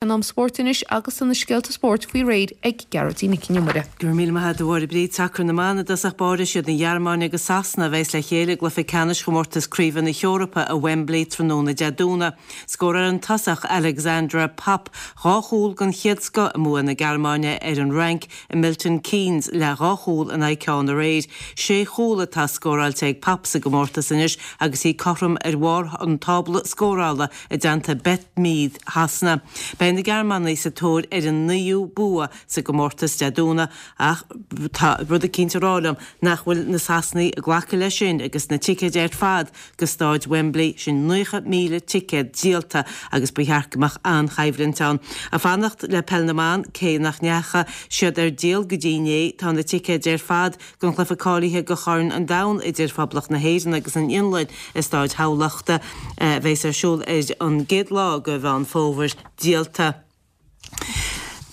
An am spóirt anois agus tá na scéalta spóirt faoi réir ag Gearóidín Nic Con Iomaire. Go raibh míle maith agat a Mháire Bríd. Sacar na mban i dtosach báire siad an Ghearmáin agus Sasana a bheas le chéile i gcluiche ceannais chomórtas craoibhe na hEorpa i Wembley tráthnóna Dé Domhnaigh. Scóráil an tosach Alexandra Popp 2 chúl den chéad scoth i mbua na Gearmáine ar an Fhrainc i Milton Keynes le 2 chúl in aghaidh ceann aréir. Sé chúl atá scóráilte ag Popp sa gcomórtas anois agus í cothrom ar bharr an tábla scórála i dteannta Beth Mead Shasana. Beidh na Gearmánaigh sa tóir ar a naoú bua sa gcomórtas Dé Domhnaigh ach tá rud eicínt ag rá liom nach bhfuil na Sasanaigh ag glacadh leis sin agus na ticéid ar fad go Stáid Wembley, sin 90,000 ticéad díolta agus ba cheart go mbeadh an-choimhlint ann. Ag fanacht le Peil na mBan, cé nach ndeacha siad ar díol go dtí inné, tá na ticéid ar fad don chluiche cáilithe do Chorn an Domhain idir Phoblacht na hÉireann agus an Fhionlainn i Stáid Thamhlachta, a bheas ar siúl ar an gcéad lá de Mheán Fómhair, díolta.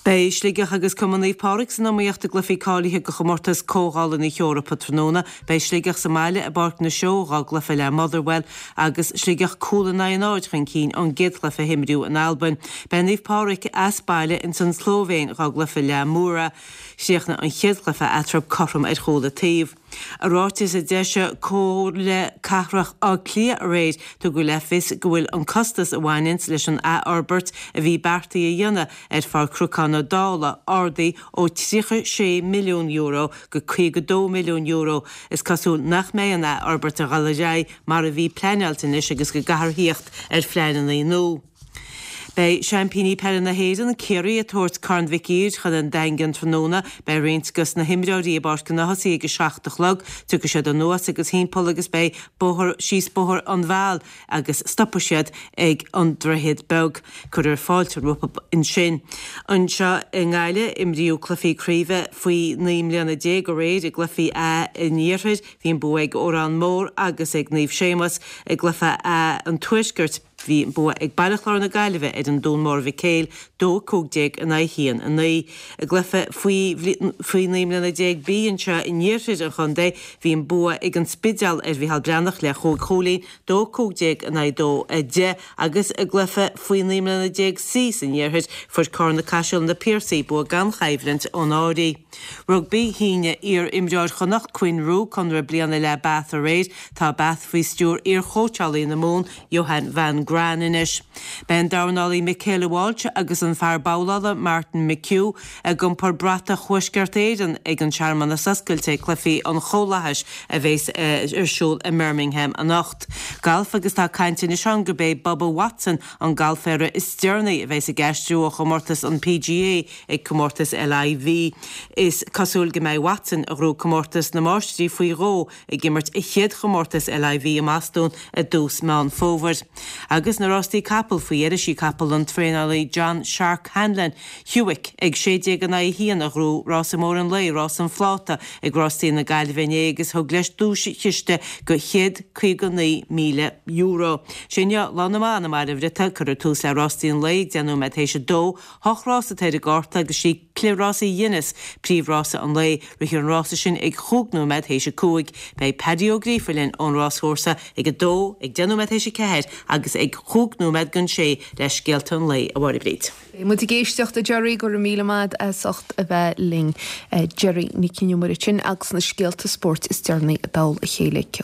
Beidh Sligeach agus Cumann Naomh Pádraig san iomaíocht i gcluichí cáilithe do chomórtas Comhdhála na hEorpa tráthnóna. Beidh Sligeach sa mbaile i bPáirc na Seó dhá gcluiche le Motherwell agus Sligeach cúl in aghaidh a náid chun cinn ón gcéad chluiche a himríodh in Albain. Beidh Naomh Pádraig as baile ins an tSlóivéin dhá gcluiche le Mura. Chríochnaigh an chéad chluiche eatarthu cothrom ar chúl an taobh. I ráiteas a d'eisigh Comhairle Cathrach Átha Cliath aréir, tugadh le fios go bhfuil an costas a bhaineanns leis an athfhorbairt a bhí beartaithe a dhéanamh ar Pháirc Chnocán na Dála ardaithe ó €36 milliún go €52 milliún. Is cosúil nach mbeidh an athfhorbairt ag dul ar aghaidh mar a bhí pleanáilte anois agus go gcaithfear thíocht ar phleananna nua. Beidh seaimpíní peile na hÉireann, Ciarraí, ag tabhairt Corn Mhic Uidhir chun an Daingin tráthnóna. Beidh roinnt dos na himreoirí i bPáirc an Ághasaigh ag a 7 a chlog. Tiocfaidh siad anuas agus thimpeall agus beidh bóthar síos Bóthar an Mheáil agus stopfaidh siad ag an Droichead Beag. Cuirfear fáilte rompu ansin. Anseo i nGaillimh, imríodh cluichí craoibhe faoi 19 mbliana aréir i gcluichí A an Iarthair. Bhí an bua ag Órán Mór agus ag Naomh Séamus i gcluiche A an Tuaiscirt. Bhí an bua ag Baile Chláir na Gaillimhe ar an Dún Mór Mhic Éil, 2, 15 in aghaidh 1, 9. I gcluiche faoi faoi 19 mbliana B anseo in iarthar an chontae, bhí an bua ag an Spidéal ar Mhicheál Breathnach le chúig chúilín, 2, 15 in aghaidh 2, 10, agus i gcluiche faoi 19 mbliana C san iarthar, fuair Carna Caiseal Na Piarsaigh bua gan choimhlint ón Áraidh. Rugbaí, Shínigh iar-imreoir Chonnacht, Quinn Roux, conradh bliana le Bath aréir. Tá Bath faoi stiúir iar-chóitseálaí na Mumhan, Johann van Graan anois. Beidh an dornálaí Michaela Walsh agus an fear babhlála Martin McHugh ag iompar bratach Thuaisceart Éireann ag an searmanas oscailte ag Cluichí an Chomhlathais a bheas ar siúl i mBirmingham anocht. Galf agus tá caint anois ann gurb é Bubba Watson an galféara is deireanaí a bheas ag aistriú ó chomórtas an PGA ag comórtas LIV. Is cosúil go mbeidh Watson, a ghnóthaigh comórtas na Máistrí faoi dhó, ag imirt a chéad chomórtas LIV i mBostún i dtús Meán Fómhair. Agus na rástaí capall faoi dheireadh sí capall an traenálaí John 'Shark' Hanlon, Hewick, ag 16 in aghaidh 1 a ghnóthaigh rása mór an lae, rás an phláta, ag rástaí na Gaillimhe inné agus thug leis duais-chiste de €159,000. Sin é Lá na mBan i mBaile an Bhriotaigh, cuirfear tús le rástaí an lae ag 10 nóiméad théis a dó. Hocht rás atá ar an gcárta agus sí Cliathrás Ghuinness príomhrása an lae. Rithfear an rása sin ag chúig nóiméad théis a 5. Beidh Paddy Ó Gríofa linn ón ráschúrsa ag 2, ag 10 nóiméad théis a 4 agus ag chúig nóiméad don sé le scéalta an lae, a Mháire Bríd. Beidh muid ag éisteacht a Gerry, go raibh míle maith as ucht a bheith linn. Gerry Nic Con Iomaire ansin agus na scéalta spóirt is deireanaí i dtoll a chéile.